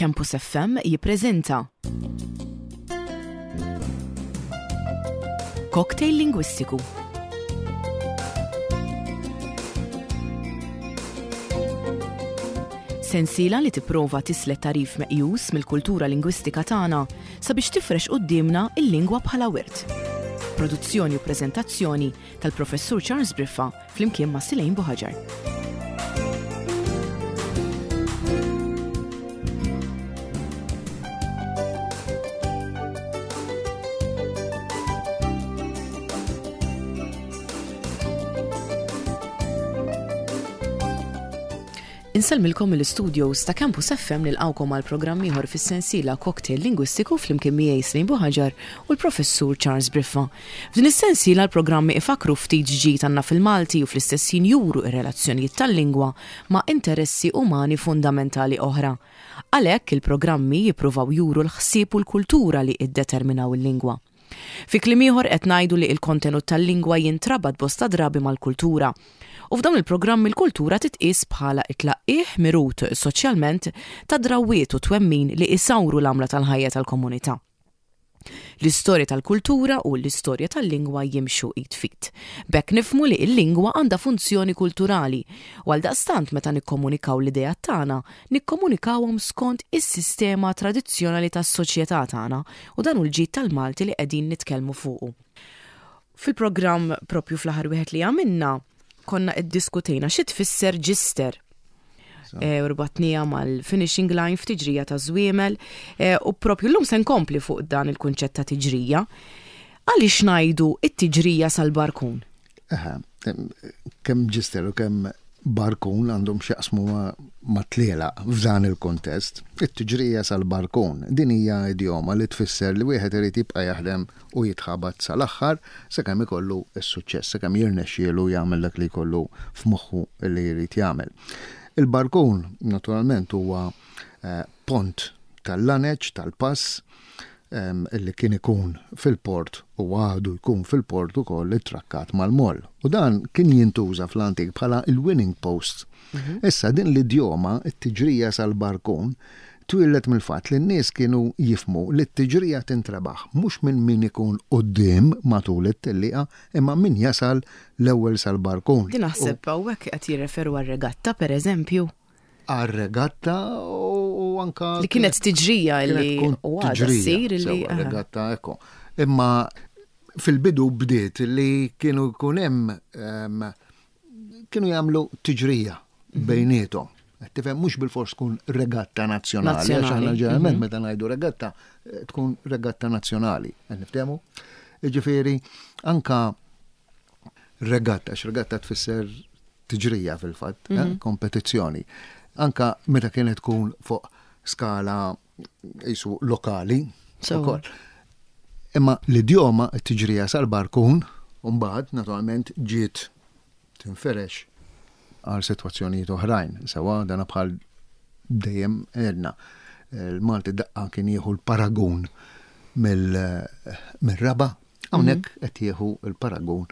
Campus FM jippreżenta Cocktail Lingwistiku. Sensiela li tipprova tislet tagħrif meqjus mill-kultura lingwistika tagħna sabiex tifrex quddiemna l-lingwa bħala wirt. Produzzjoni u preżentazzjoni tal-Professur Charles Briffa flimkien ma' Silejn Buħaġar. Insellmilkom mill-istudios ta' Campus FM nilqgħukom għal programm ieħor fis-sensiela Cocktail Lingwistiku flimkien miegħi Slejn Buħaġar u l-Professur Charles Briffa. F'din is-sensiela l-programmi ifakkru ftit x'ġid għandna fil-Malti u fl-istess ħin juru r-relazzjonijiet tal-lingwa ma' interessi umani fundamentali oħra. Għalhekk il-programmi jippruvaw juru l-ħsieb u l-kultura li iddeterminaw il-lingwa. Fi kliem ieħor qed ngħidu li l-kontenut tal-lingwa jintrabat bosta drabi mal-kultura. U f'dawn il-programmi l-kultura titqies bħala t-tlaqqigħ mirut soċjalment ta' drawwiet u twemmin li isawru l-għamla tal-ħajja tal-komunità. L-istorja tal-kultura u l-istorja tal-lingwa jimxu id f'id. B'hekk nifhmu li l-lingwa għandha funzjoni kulturali u għaldaqstant meta nikkomunikaw l-ideat tagħna, nikkomunikawhom skont is-sistema tradizzjonali tas-soċjetà tagħna u dan hu l-ġid tal-Malti li qegħdin nitkellmu fuqu. Fil-programm propju fl-aħħar wieħed li għamilna, konna iddiskutejna xi tfisser ġister. E, u rbatnija mal-finishing line f'tiġrija ta' żwiemel e, u propju llum se nkompli fuq dan il-kunċett ta' tiġrija. Għaliex ngħidu it-tiġrija sal-barkun? Kemm ġister u kemm barkun għandhom x'jaqsmu ma' tlielaq f'dan il-kuntest. It-tiġrija sal-barkun, din hija idjoma li tfisser li wieħed irid jibqa' jaħdem u jitħabat sal-aħħar sakemm ikollu s-suċċess, sakemm jirnexxielu jagħmel dak li jkollu f'moħħu li jrid jagħmel. Il-barkun, naturalment, huwa eh, pont tal-laneċ, tal-pass, li kien ikun fil-port u għadu jkun fil-port ukoll ittrakkat mal-moll. U dan kien jintuża fl-antik bħala il-winning post. Mhm. Issa din l-idjoma, it-tiġrija sal-barkun, twieldet mill-fatt li n-nies kienu jifhmu li t-tiġrija tintrebaħ mhux minn min ikun quddiem matul it-tellieqa imma min jasal l-ewwel sal-barkun. Din naħseb hawnhekk qed jirreferu għar-regatta pereżempju. Għar-regatta u anka. Li kienet tiġrija li u għadha ssir li. Regatta ekku. Imma fil-bidu bdiet li kienu jkun hemm ehm, kienu jagħmlu tiġrija mhm. bejniethom. Tifhem mhux bil-fors tkun regatta nazzjonali, għax aħna ġeneralment mhm. meta ngħidu regatta eh, tkun regatta nazzjonali. Qed niftehmu? Jiġifieri anka regatta, għax regatta tfisser tiġrija fil-fatt, eh, mhm. kompetizzjoni. Anka meta kienet tkun fuq skala jisu lokali. ukoll. Imma l-idjoma t-tiġrija sal-barkun, mbagħad naturalment ġiet tinferex għal sitwazzjonijiet oħrajn. Sewa dana bħal dejjem għedna. Il-Malti daqqa kien jieħu l-paragun mill-raba, hawnhekk mhm. qed jieħu l-paragun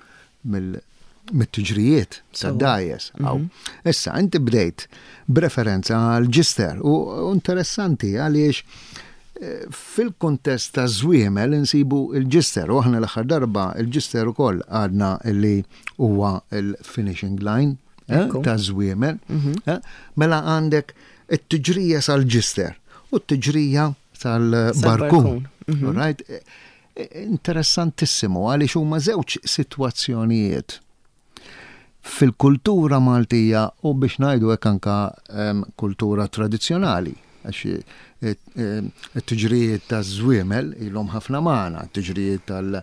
mit-tiġrijiet tad-dajes. Mhm. Issa, inti bdejt b'referenza għal ġister u interessanti għaliex eh, fil-kontest ta' żwiemel insibu il-ġister u aħna l-aħħar darba il-ġister ukoll għadna li huwa il-finishing line eh, ta' żwiemel. Mhm. Eh, mela għandek it-tiġrija sal-ġister u t-tiġrija sal-barkun. Mhm. Right? Interessantissimu għaliex huma żewġ sitwazzjonijiet fil-kultura Maltija u biex ngħidu hekk anka kultura tradizzjonali għax eh, eh, it-tiġrijiet ta' żwiemel ilhom ħafna magħna, t-tiġrijiet eh,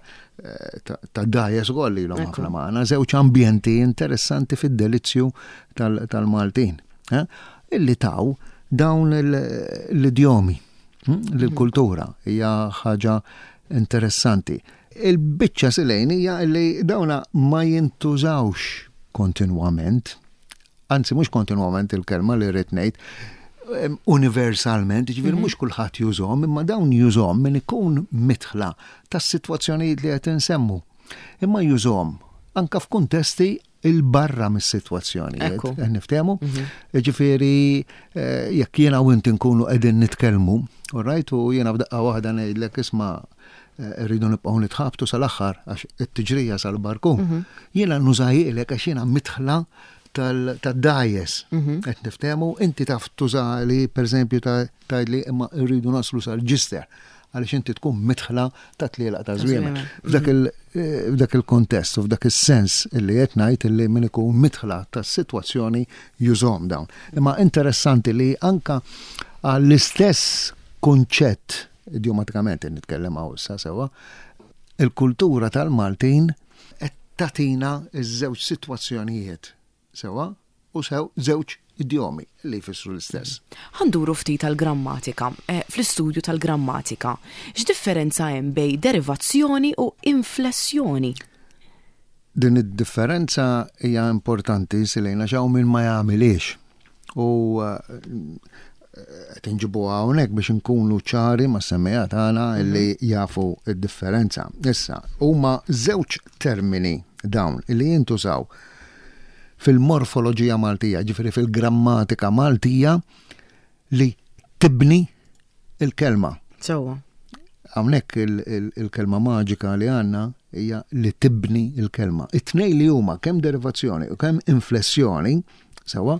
tad-dajes ukoll ilhom ħafna magħna, żewġ ambjenti interessanti fid-delizzju tal-Maltin. Illi taw dawn l-idjomi. Hm? L-kultura hija ħaġa interessanti. Il-biċċa silejn hija li dawna ma jintużawx kontinwament, anzi mhux kontinwament il-kelma li rrid ngħid, universalment, ġifieri mhm. mhux kulħadd jużhom, imma dawn jużhom min ikun mitħla tas-sitwazzjonijiet li qed insemmu. Imma jużhom anka f'kuntesti. 'il barra mis-sitwazzjonijiet. Qed niftehmu? Ġifieri jekk jiena u inti nkunu qegħdin nitkellmu, all right, u jiena f'daqqa waħda ngħidlek isma' rridu nibqgħu nitħabtu sal-aħħar għax it-tiġrija sal-barkun. Jiena nużahielek għax jiena midħla tad-dgħajjes. Qed niftehmu, inti taf tużali pereżempju tgħidli imma rridu naslu sal-ġister għaliex inti tkun midħla ta' tlielaq ta' żwiemel. F'dak il-kontest u f'dak is-sens illi qed ngħid illi min ikun midħla tas-sitwazzjoni jużhom dawn. Imma interessanti li anka għall-istess kunċett idjomatikament qed nitkellem hawn issa sewwa, il-kultura tal-Maltin qed tagħtina ż-żewġ sitwazzjonijiet sewwa u sew żewġ idjomi li jfissru l-istess. Ħa nduru ftit għall-grammatika. Fl-istudju tal-grammatika, x'differenza hemm bejn derivazzjoni u inflessjoni? Din id-differenza hija importanti Silejna għax hawn min ma jagħmilhiex. U qed inġibuha hawnhekk biex inkunu ċari mas-semmiegħa tagħna li jafu d-differenza. Issa, huma żewġ termini dawn li jintużaw fil-morfoloġija Maltija, ġifieri fil-grammatika Maltija li tibni il-kelma. Sewwa. Hawnhekk il-kelma maġika li għandna hija li tibni il-kelma. It-tnej li huma kemm derivazzjoni u kemm inflessjoni, sewwa,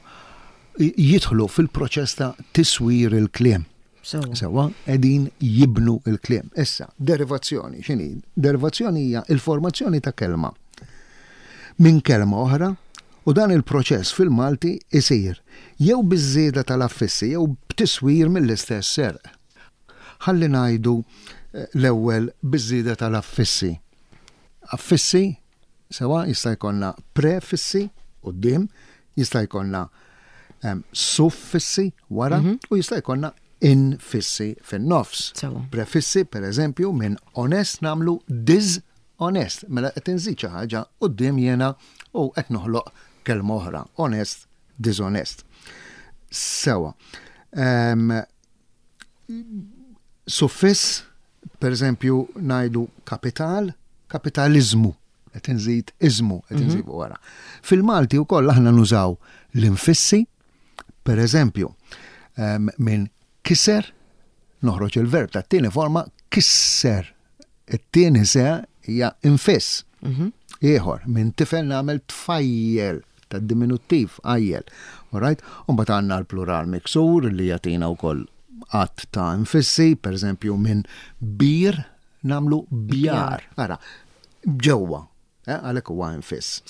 jidħlu fil-proċess ta' tiswir il-kliem. Sewwa, qegħdin jibnu il-kliem. Issa, derivazzjoni, x'inhi? Derivazzjoni hija il-formazzjoni ta' kelma minn kelma oħra u dan il-proċess fil-Malti isir jew biż-żieda tal-affissi jew b'tiswir mill-istess serq. Ħalli ngħidu eh, l-ewwel biż-żieda tal-affissi. Affissi Sewwa, jista' jkollna prefissi quddiem, jista' jkollna suffissi wara u jista' jkollna infissi fin-nofs. Prefissi, per eżempju, minn onest nagħmlu diżonest. Mela qed inżid xi ħaġa quddiem jiena u qed noħloq kelma oħra, onest, diżonest. Sewwa. Suffiss, per eżempju, ngħidu kapital, kapitaliżmu, qed inżid iżmu, qed mhm. inżidu wara. Fil-Malti wkoll aħna nużaw l-infissi, per eżempju, minn kiser, noħroġ il-verb ta' tieni forma kisser. It-tieni se hija infiss. Mhm. Ieħor, minn tifel nagħmel tfajjel ta' diminuttiv għajjel. Alright? Umbagħad għandna l-plural miksur li jagħtina wkoll għadd ta' infissi, per eżempju minn bir nagħmlu bjar. Ara, ġewwa, eh, għalhekk huwa infiss.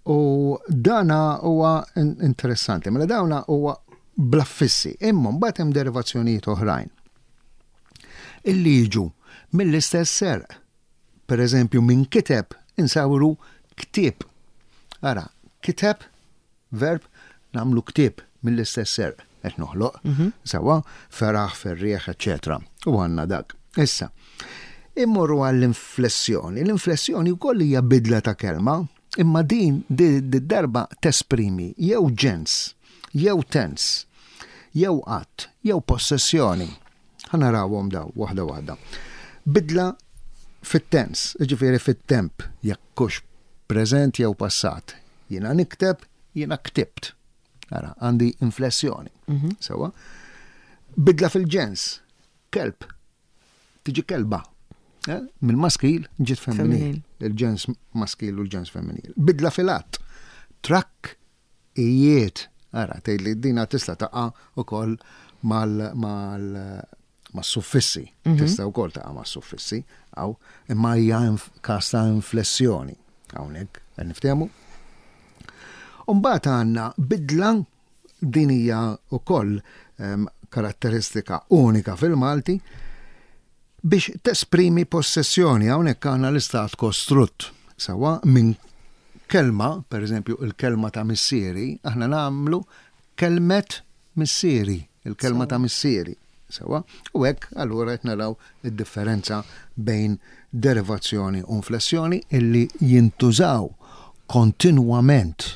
U dana huwa interessanti, mela dawna huwa bl-affissi, imma mbagħad hemm derivazzjonijiet oħrajn illi jiġu mill-istess serq. Per eżempju, minn kiteb insawru ktieb. Ara, kiteb, verb, nagħmlu ktieb mill-istess serq qed noħloq. Mhm. Sewwa, feraħ, ferrieħ, eċċetera. U għandna dak. Issa, immorru għall-inflessjoni. L-inflessjoni wkoll hija bidla ta' kelma, imma din darba tesprimi jew ġens, jew tens, jew att, jew possessjoni. Ħa narawhom daw waħda waħda. Bidla fit-tens, jiġifieri fit-temp, jekk hux preżent jew passat. Jiena nikteb, jiena ktibt. Ara, għandi inflessjoni. Mhm. Sewwa. Bidla fil-ġens, kelb, tiġi kelba. Eh? Mill-maskil ġiet femminil. Il-ġens maskil u l-ġens femminil. Bidla fil-att, trakk ijiet. Ara, tgħidli dina tista' taqa' ukoll mal mal mas-suffissi. Mhm. Tista' wkoll taqa' mas-suffissi, aw, imma hija każ ta' inflessjoni hawnhekk, qed niftehmu. Umbagħad għandna bidla din hija wkoll ehm, karatteristika unika fil-Malti biex tesprimi possessjoni hawnhekk għandna l-istat kostrutt. Sewwa minn kelma, per eżempju il-kelma ta' missieri, aħna nagħmlu kelmet missieri, il-kelma ta' missieri. Sewwa, u hekk allura qed naraw id-differenza bejn derivazzjoni u inflessjoni illi jintużaw kontinwament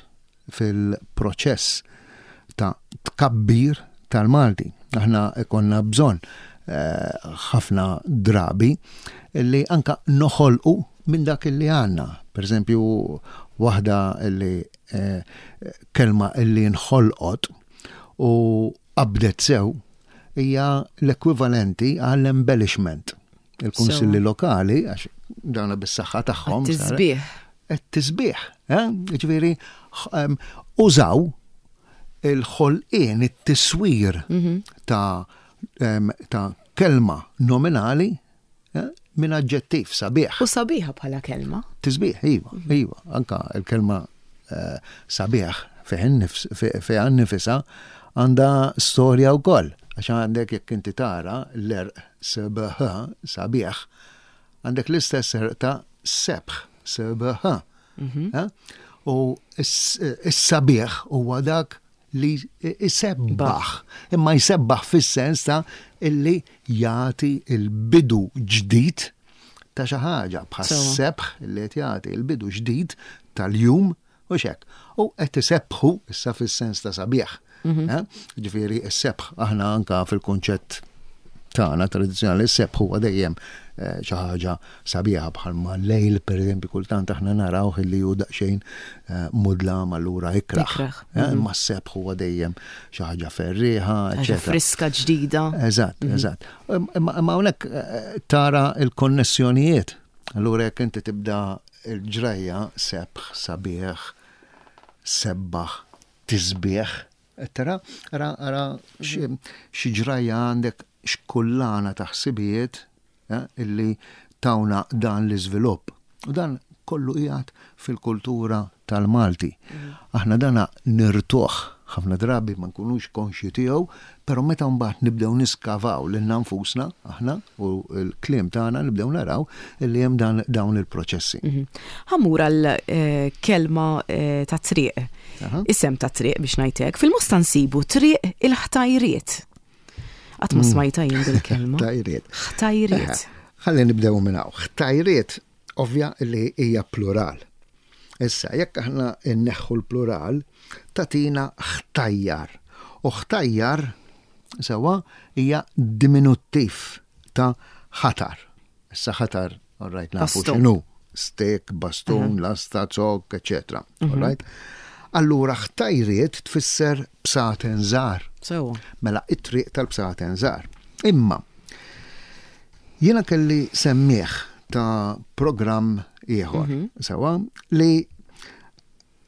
fil-proċess ta' tkabbir tal-Malti. Aħna ikonna bżonn eh, ħafna drabi li anka noħolqu minn dak li għandna. Per eżempju, waħda li kelma illi nħolqot u qabdet sew hija l-ekwivalenti għall-embellishment. Il-kunsilli lokali, għax dawna bis-saħħa tagħhom. Tisbieħ. Tisbieħ, eh? Ġifieri użaw il-ħolqien, it-tiswir mhm. ta' ta' kelma nominali eh, minn aġġettiv sabiħ. U sabiħa bħala kelma. Tisbieħ, iva, mhm. iva, anka il-kelma eh, sabiħ fiha nifisa għandha storja wkoll. Għax għandek jekk inti tara l-erq sebħ sabiħ, għandek l-istess erq ta' sebħ, sebħ. Mhm. Eh? U s-sabiħ huwa dak li jsebbaħ, imma jsebbaħ fis-sens ta' illi jagħti l-bidu ġdid ta' xi ħaġa bħas-sebħ li qed jagħti l-bidu ġdid tal-jum u xek. U qed isebbħu issa fis-sens ta' sabiħ. Mhm. Eh? Ġifieri s-sebħ aħna anka fil-kunċett tagħna tradizzjonali s-sebħ huwa dejjem eh, xi ħaġa sabiħa bħalma lejl pereżempju kultant aħna narawh illi hu daqsxejn eh, mudlam allura ikraħ. Eh, mhm. Imma s-sebħ huwa dejjem xi ħaġa ferrieħa, eċetera. Friska ġdida. Eżatt, mhm. eżatt. Imma hawnhekk tara l-konnessjonijiet. Allura jekk inti tibda l-ġrajja sebħ, sabiħ, sebbaħ, tisbieħ, Qed tara? Ara, ara xi ġrajja għandek x'kullana ta' ħsibijiet eh, illi tawna dan l-iżvilupp. U dan kollu qiegħed fil-kultura tal-Malti. Mm. Aħna dana nirtuh ħafna drabi ma nkunux konxji tiegħu, però meta mbagħad nibdew niskavaw lil nfusna aħna u l-kliem tagħna nibdew naraw li hemm dawn il-proċessi. Mhm. Ħammur għal eh, kelma eh, ta' triq. Isem ta' triq biex ngħidlek. Fil-mosta nsibu triq il-ħtajriet. Qatt ma mm. smajta jien bil-kelma. Ħtajriet. Ħtajriet. Ħalli nibdew minn hawn. Ħtajriet ovvja li hija plural. Issa, jekk aħna nneħħu l-plural, tagħtina ħtajjar. U ħtajjar, sewwa, hija diminuttiv ta' ħatar. Issa ħatar, all right, nafu x'inhu. Stek, bastun, lasta, zokk, eċetera. All mhm. right? Allura ħtajriet tfisser bsaten żgħar. Sewwa. Mela it-triq tal-bsaten żgħar. Imma Jiena kelli semmiegħ ta' programm ieħor, mhm. sewa, li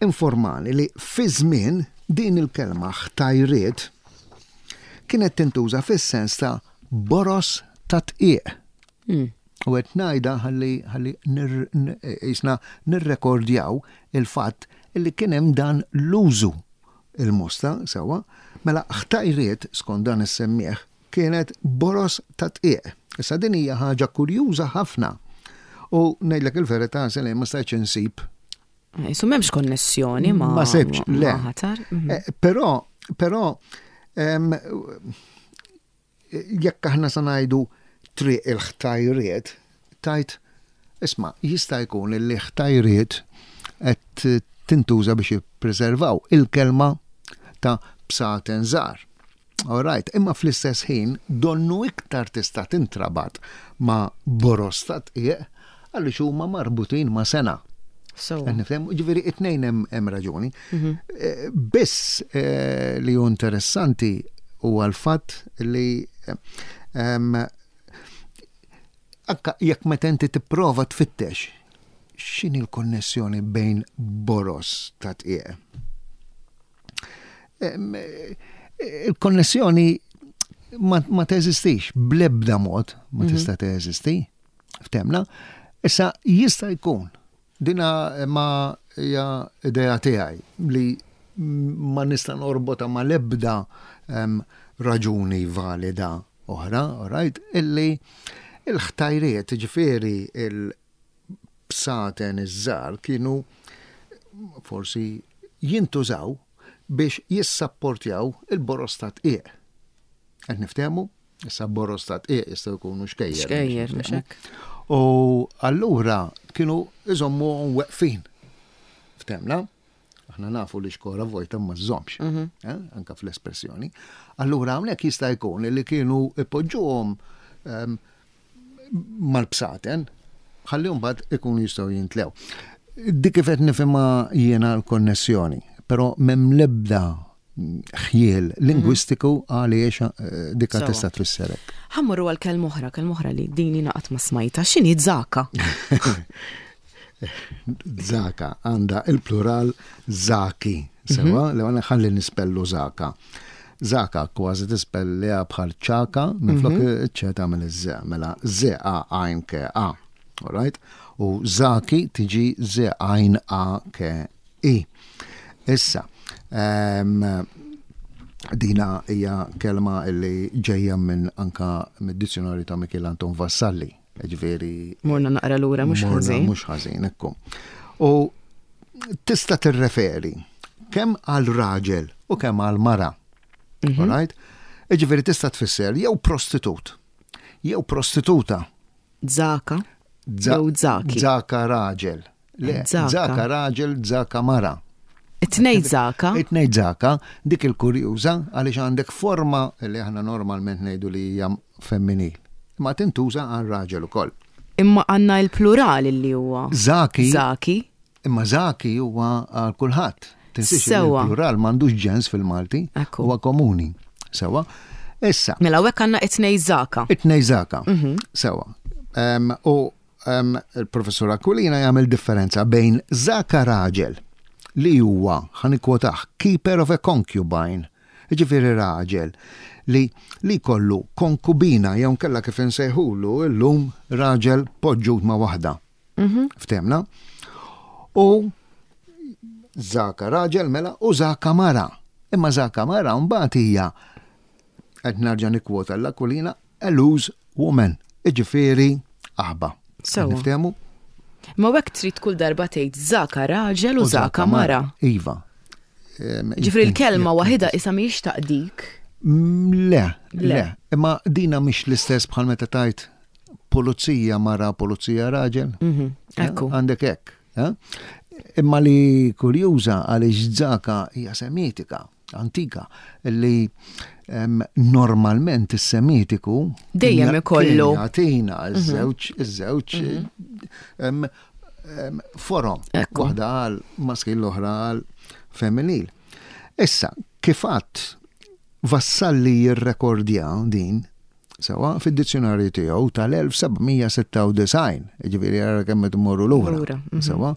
informani li fi żmien din il-kelma ħtajriet kienet tintuża fis-sens ta' boros ta' tqiq. Hmm. U qed ngħidha ħalli ħalli jisna nirrekordjaw il-fatt li kien hemm dan l-użu il-mosta sewa, mela ħtajriet skont dan is-semmieħ Kienet boroż ta' dqiq. Issa din hija ħaġa kurjuża ħafna. U ngħidlek il-verità, Selin, ma stajtx insib. Isu m'hemmx konnessjoni ma' Ma sibx, le. ħatar. Mhm. Eh, però, però, jekk aħna sa ngħidu triq il-ħtajriet, tajt, isma' jista' jkun li ħtajriet qed tintuża biex jippreservaw il-kelma ta' bsaten żgħar. All right, imma fl-istess ħin donnu iktar tista' tintrabat ma' boroż ta' tqiegħ għaliex huma marbutin ma' sena. So. Nifhem, ġifieri it-tnejn hemm raġuni. Mhm. Eh, biss eh, li hu interessanti huwa l-fatt li ehm, anka jekk meta inti tipprova tfittex x'inhi l-konnessjoni bejn boroż ta' tqiegħ Il-konnessjoni ma teżistix, bl-ebda mod ma mhm. tista' teżisti, ftemna. Issa jista' jkun dina ma hija idea tiegħi li ma nista' norbota ma l-ebda raġuni valida oħra, right, illi il-ħtajriet, ġifieri il bsaten iż-żgħar kienu forsi jintużaw biex jissapportjaw il-boroż ta' tqiegħ. Qed niftehmu? Issa boroż ta' tqiegħ jistgħu jkunu xkejjer. Xkejjer, mhux hekk. U allura kienu iżommuhom weqfin. Ftemna? Aħna nafu li xkora vojta ma żżommx, mhm. eh, anka fl-espressjoni. Allura hawnhekk jista' jkun li kienu ipoġġuhom ehm, mal-bsaten, Ħalli mbagħad ikunu jistgħu jintlew. Dik kif qed nifhimha jiena l-konnessjoni, però m'hemm l-ebda ħjiel lingwistiku għaliex eh, dika tista' tfisser hekk. Ħa mmorru għal kelma oħra, kelma oħra li din jiena qatt ma smajta. X'inhi zaka? Zaka għandha il-plural zaki. Sewa, mhm. li għana ħalli nispellu zaka. Zaka kważi tispelliha bħal ċaka minflok mhm. ċe tagħmel iż-ze, mela z a għajn ke a. Alright? U zaki tiġi z għajn a ke i. Issa, ehm, dina hija kelma li ġejja minn anka mid-dizzjonarju ta' Mikiel Anton Vassalli. Ġifieri. Morna naqra lura mhux ħażin. Mhux ħażin, ekku. U tista' tirreferi kemm għal raġel u kemm għal mara. Mhm. Alright? Ġifieri tista' tfisser jew prostitut, jew prostituta. Zaka. Jew zaki. Zaka raġel. Le, zaka raġel, zaka mara. It-tnej zaka. It-tnej zaka, dik il-kurjuża għaliex għandek forma li aħna normalment ngħidu li hija femminil. Ma tintuża għal raġel ukoll. Imma għandna il-plural li huwa. Zaki. Zaki. Imma zaki huwa għal kulħadd. Tinsiex Sewa. Il-plural m'għandux ġens fil-Malti, huwa komuni. Sewa. Issa. Mela hekk għandna it-tnej zaka. It-tnej zaka. Mhm. Sewa. U Il-Professur Aquilina jagħmel differenza bejn Zaka raġel li huwa, ħa nikkwotah, keeper of a concubine, jiġifieri raġel li li jkollu konkubina jew nkella kif insejħulu llum raġel poġġut ma' waħda. Mhm. Ftehmna? U Zaka raġel mela u Zaka mara. Imma Zaka mara mbagħad hija qed nerġa' nikkwota l-Aquilina a loose woman, iġifieri aħba. Sewa. Niftehmu? Ma hekk trid kull darba tgħid zaka raġel u zaka mara. Iva. Ġifieri l-kelma waħida isa mhijiex taqdik. Mm, le, le. Imma dina mhix l-istess bħal meta tajt pulizija mara, pulizija raġel. Mhm, ekku. Għandek hekk. Eh? Imma li kurjuża għaliex zaka hija semitika antika li normalment is-Semitiku dejjem ikollu jagħtina mhm. iż-żewġ iż-żewġ mhm. forom. Waħda għal maskil l-oħra għal femminil. Issa, kif għadd Vassalli jirrekordja din Sewa, fid-dizzjonarju tiegħu tal-1796, ġifieri ara kemm qed immorru lura. Mhm. Sewa.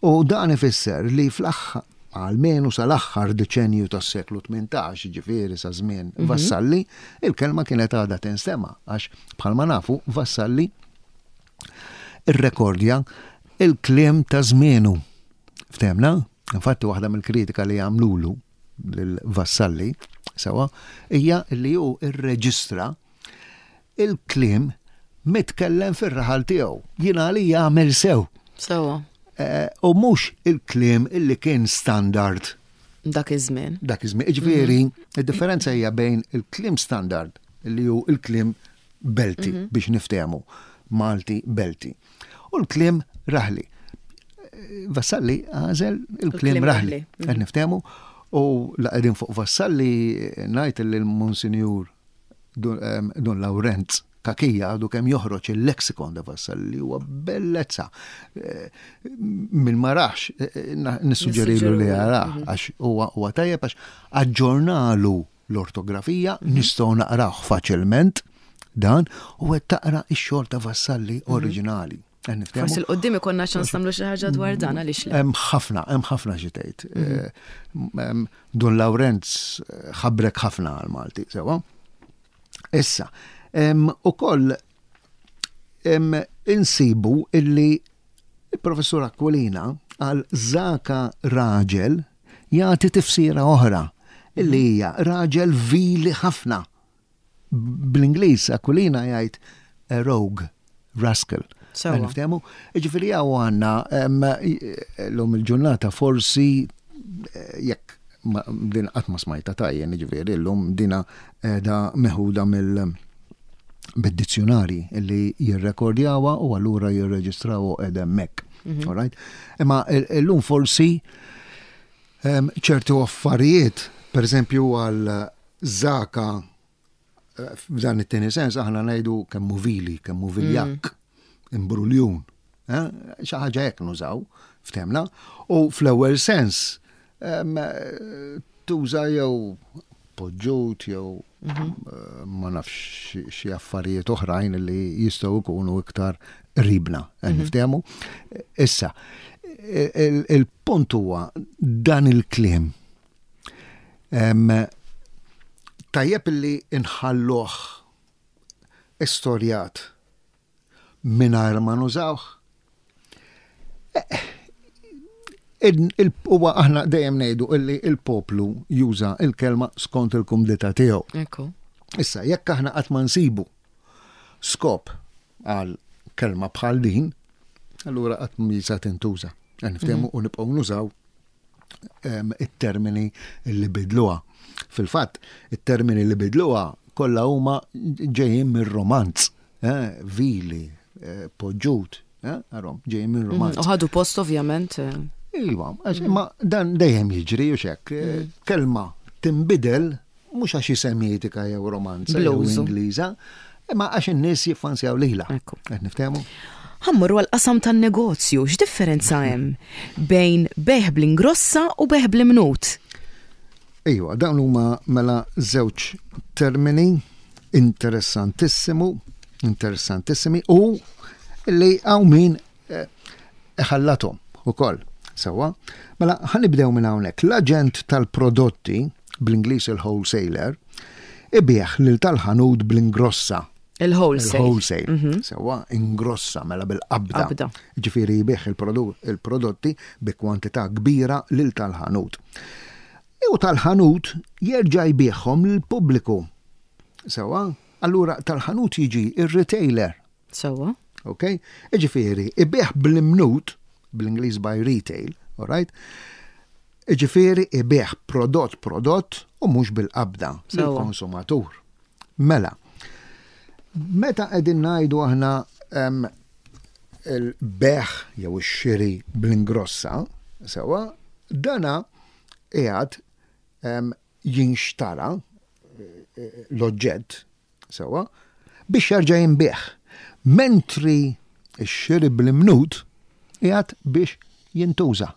U dan ifisser li fl-aħħar għalmenu sal-aħħar deċenju tas-seklu 18, ġifieri sa żmien mhm. Vassalli, il-kelma kienet għadha tinstema' għax bħalma nafu Vassalli irrekordja il-kliem ta' żmienu. Ftemna? Infatti waħda mill-kritika li għamlulu lil Vassalli, sewa, hija li hu rreġistra il-kliem mitkellem fir-raħal tiegħu. Jien għalija għamel sew. Sewa. Eh, u mhux il-kliem illi kien standard. Dak iż-żmien. Dak iż-żmien. Ġifieri, mhm. id-differenza hija bejn il-kliem standard li hu il-kliem Belti mhm. biex niftehmu, Malti Belti. U l-kliem raħli. Vassalli għażel il-kliem raħli. Qed mhm. niftehmu u la qegħdin fuq Vassalli ngħid li l-Monsinjur Dun Lawrenz Kakija għadu kemm joħroġ il-lexikon da Vassalli li huwa bellezza. Eh, min ma rax, eh, eh, nissuġġerilu li jarah mhm. għax huwa tajjeb għax aġġornalu l-ortografija, mhm. nistgħu naqrawh faċilment dan u qed taqra x-xogħol ta' Vassalli mhm. oriġinali. Forsi l-qoddim ikonna ċans nagħmlu xi ħaġa dwar dan għaliex le. Hemm ħafna, hemm ħafna xi tgħid. Mhm. Eh, Dun Lawrenz eh, ħabrek ħafna għal Malti, sewa. Issa, ukoll insibu illi il-professur Aquilina għal Zaka raġel jagħti tifsira oħra illi hija raġel vili ħafna. Bl-Ingliż Aquilina jgħid a rogue, rascal. Sewa. Niftehmu? Ġifieri hawn għandna l-lum il-ġurnata forsi eh, jekk din qatt ma smajta tajjen, ġifieri llum dina qiegħda meħuda mill bid-dizzjonari li jirrekordjawha u allura jirreġistraw u qiegħda hemmhekk. Mhm. All right? Imma llum forsi ċertu affarijiet, per eżempju għal zaka eh, f'dan it-tieni sens aħna ngħidu kemm vili, kemm viljakk, mm. imbruljun. Eh? Xi ħaġa hekk nużaw ftemna. U fl-ewwel sens tuża jew poġġut jew mhm. eh, ma nafx xi affarijiet oħrajn li jistgħu jkunu iktar qribna, eh, mhm. niftehmu. Issa, il-punt huwa dan il-kliem. Tajjeb li nħalluh istorjat mingħajr ma nużawh. Huwa aħna dejjem ngħidu illi il-poplu juża il-kelma skont il-kumdità tiegħu. Issa, jekk aħna qatt ma nsibu skop għal kelma bħal din, allura qatt misa tintuża. Niftehmu mhm. u nibqgħu nużaw it-termini li bidluha. Fil-fatt, it-termini li bidluha kollha huma ġejjin mir-romanz, eh, vili, eh, poġġut, eh, arom, ġejjin mir-romanz. Mhm, u ħadu post ovvjament. Iva, imma dan dejjem jiġri u xek, mhm. kelma tinbidel mhux għax hi Semitika jew Romanza jew Ingliża, imma għax in-nies jiffansjaw lilha. Qed niftehmu? Ħa mmorru għall-qasam tan-negozju, x'differenza hemm bejn bejgħ bl-ingrossa u bejgħ bl-imnut? Iva, dawn huma mela żewġ termini interessantissimu, interessantissimi u li hawn min eh, iħallathom ukoll. Sewwa? Mela ħa nibdew minn hawnhekk. L-aġent tal-prodotti, bl-Ingliż il-wholesaler, ibigħ lil tal-ħanut bl-ingrossa. Il-wholesale. Il-wholesale. Mhm. Sewwa, ingrossa mela bil-qabda. Qabda. Ġifieri jbigħ il-prodotti bi kwantità kbira lil tal-ħanut. U tal-ħanut jerġa' jbigħhom lill-pubbliku. Sewwa? Allura tal-ħanut jiġi ir-retailer. Sewwa. Ok? Iġifieri, ibigħ bl-imnut, bl-Ingliż by retail, all right? Iġifieri ibigħ prodott prodott u mhux bil-qabda lill-konsumatur. Mela, meta qegħdin ngħidu aħna il-bejgħ jew ix-xiri bl-ingrossa, sewwa, dana qiegħed jinxtara eh, l-oġġett Sewwa, biex jerġa' jinbiegħ. Mentri x-xiri bl-imnut qiegħed biex jintuża.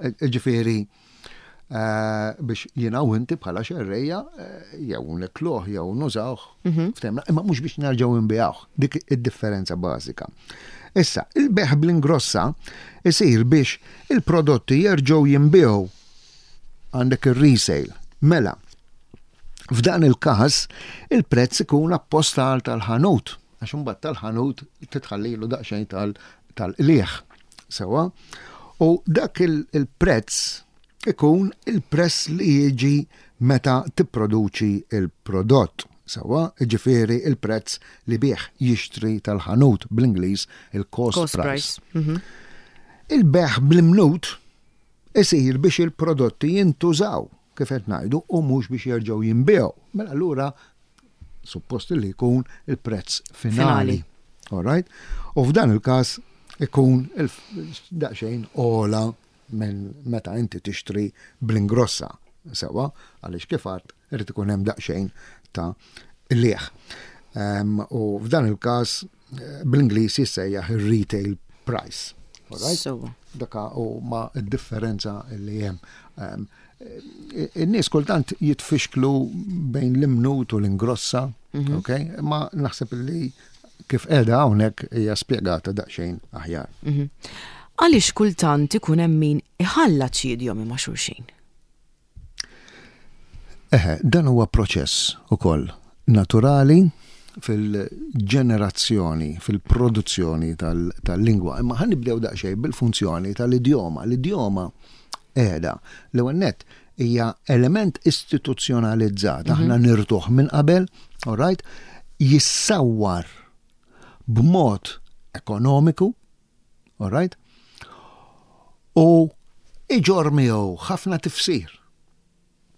Ġifieri eh, biex jiena u inti bħala xerrejja eh, jew nikluh jew nużawh, mhm. ftemna, imma mhux biex nerġgħu nbigħuh. Dik id-differenza bażika. Issa, il-beħ bl-ingrossa isir biex il-prodotti jerġgħu jinbiegħu għandek ir-resale. Mela, F'dan il-każ, il-prezz ikun apposta għal tal-ħanut, għax imbagħad tal-ħanut titħallilu daqsxejn tal-qligħ. Sewwa? U dak il-prezz ikun il-prezz li jiġi meta tipproduċi il-prodott. Sewwa, ġifieri il-prezz li bih jixtri tal-ħanut bl-Ingliż il-cost price. Mhm. Il-bejgħ bl-imnut isir biex il-prodotti jintużaw, kif qed ngħidu, u mhux biex jerġgħu jinbiegħu. Mela allura suppost li jkun il-prezz finali. All right? U f'dan il-każ ikun daqsxejn ogħla minn meta inti tixtri bl-ingrossa. Sewwa, għaliex kif għedt irid ikun hemm daqsxejn ta' qligħ. U f'dan il-każ eh, bl-Ingliż jissejjaħ ir-retail price. Right? Daka u ma differenza li hemm. In-nies kultant jitfixklu bejn l-imnut u l-ingrossa, mhm. ok? Ma naħseb li kif qiegħda hawnhekk hija spjegata daqsxejn aħjar. Mhm. Għaliex kultant ikun hemm min iħallat xi idjomi ma' xulxin? Eħe, dan huwa proċess ukoll naturali fil-ġenerazzjoni, fil-produzzjoni tal-lingwa. Imma ħa nibdew daqsxejn bil-funzjoni tal-idjoma. L-idjoma qiegħda l-ewwel nett hija element istituzzjonalizzat, mhm. aħna nirtuh minn qabel, all right, jissawwar b'mod ekonomiku, all right, u iġorr miegħu ħafna tifsir.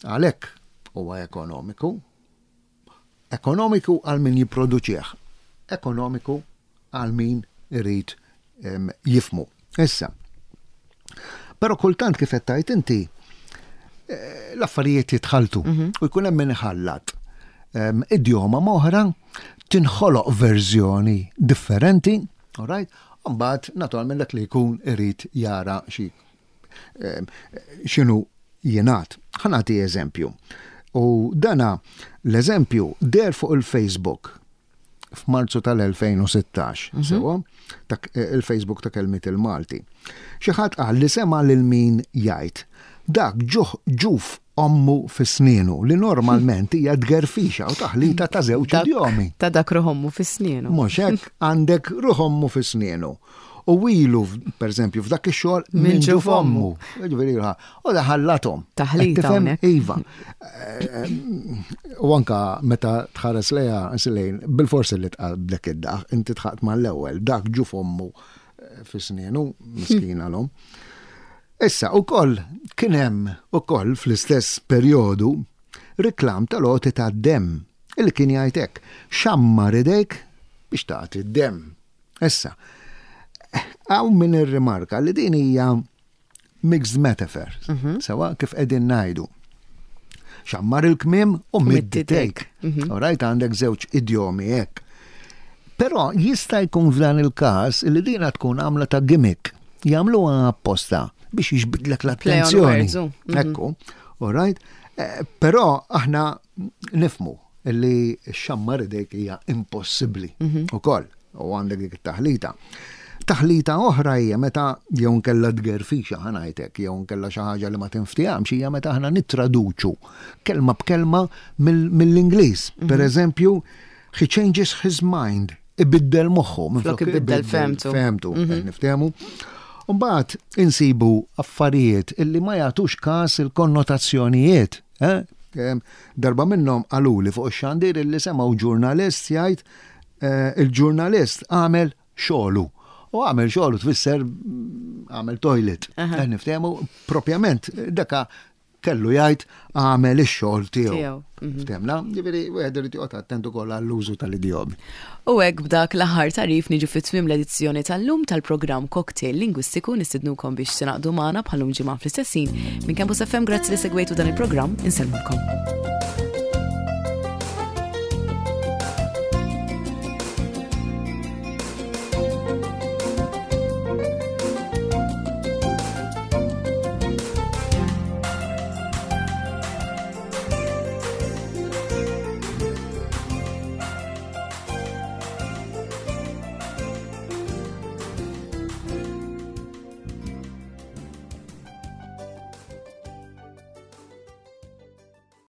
Għalhekk huwa ekonomiku. Ekonomiku għal min jipproduċih, ekonomiku għal min irid jifmu. Issa, però kultant kif qed tgħid inti, eh, l-affarijiet jitħaltu mhm. u jkun hemm min iħallat idjoma m'oħra tinħoloq verżjoni differenti, all right? Mbagħad naturalment dak li jkun irid jara xi eh, x'inhu jingħad. Ħa nagħti eżempju. U dana l-eżempju der fuq il-Facebook f'Marzu tal-2016, mhm. sewa, eh, il-Facebook ta' kelmiet il-Malti. Xi ħadd qal li sema' lil min jgħid dak ġuħ ġuf ommu fi snienu li normalment hija tgerfixa u taħlita ta' żewġ idjomi. Ta' dak ruħ ommu fi snienu. Mhux hekk għandek ruħ ommu fi snienu. U ilu, per eżempju, f'dak ix-xogħol minn ġuf ommu. Ġifieri u daħallathom. Taħlita. Iva. U anka meta tħares leja lejn, bil-forsi li tqablek id-daħ, inti tħaqt mal-ewwel, dak ġuf ommu eh, fi snienu, miskina l-om. Issa, u koll kien hemm ukoll fl-istess perjodu reklam tal-għoti tad-demm illi kien jgħid hekk, xammar idejk biex tagħti d-demm. Issa, hawn min irrimarka li din hija mixed metaphor, mhm. sewa kif qegħdin ngħidu. Xammar il-kmim u mid take. Mhm. Alright, għandek żewġ idjomi hekk. Però jista' jkun f'dan il-każ li dina tkun għamla ta' gimmick. Jagħmluha apposta biex jiġbidlek l-attenzjoni. Mhm. Ekku, alright? Eh, però aħna nifmu li xammar idejk hija impossibbli mhm. ukoll u għandek dik it-taħlita. Taħlita oħra hija meta jew nkella tgerfixa ħanajtek, jew nkella xi ħaġa li ma tinftihomx hija meta aħna nittraduċu kelma b'kelma mill-Ingliż. Mhm. Per eżempju, he changes his mind, ibiddel moħħu, minflok ibiddel femtu. Femtu, mhm. niftehmu. Mbagħad insibu affarijiet illi ma jagħtux każ il-konnotazzjonijiet. Eh? Darba minnhom qaluli fuq ix-xandir illi semgħu ġurnalist jgħid eh, il-ġurnalist għamel xogħlu. U għamel xogħlu tfisser għamel toilet. Eh, niftehmu propjament daka kellu jgħid għamel ix-xogħol tiegħu. Mhm. Ftemna, ġifieri wieħed irid joqgħod attent ukoll għall-użu tal-idjomi. U hekk b'dak l-aħħar tagħrif niġu fi tmiem l-edizzjoni tal-lum tal-programm Cocktail Lingwistiku nistidnukom biex tingħaqdu magħna bħal-lum ġimgħa fl-istess ħin. Minn Campus FM grazzi li segwejtu dan il-programm, insellmulkom.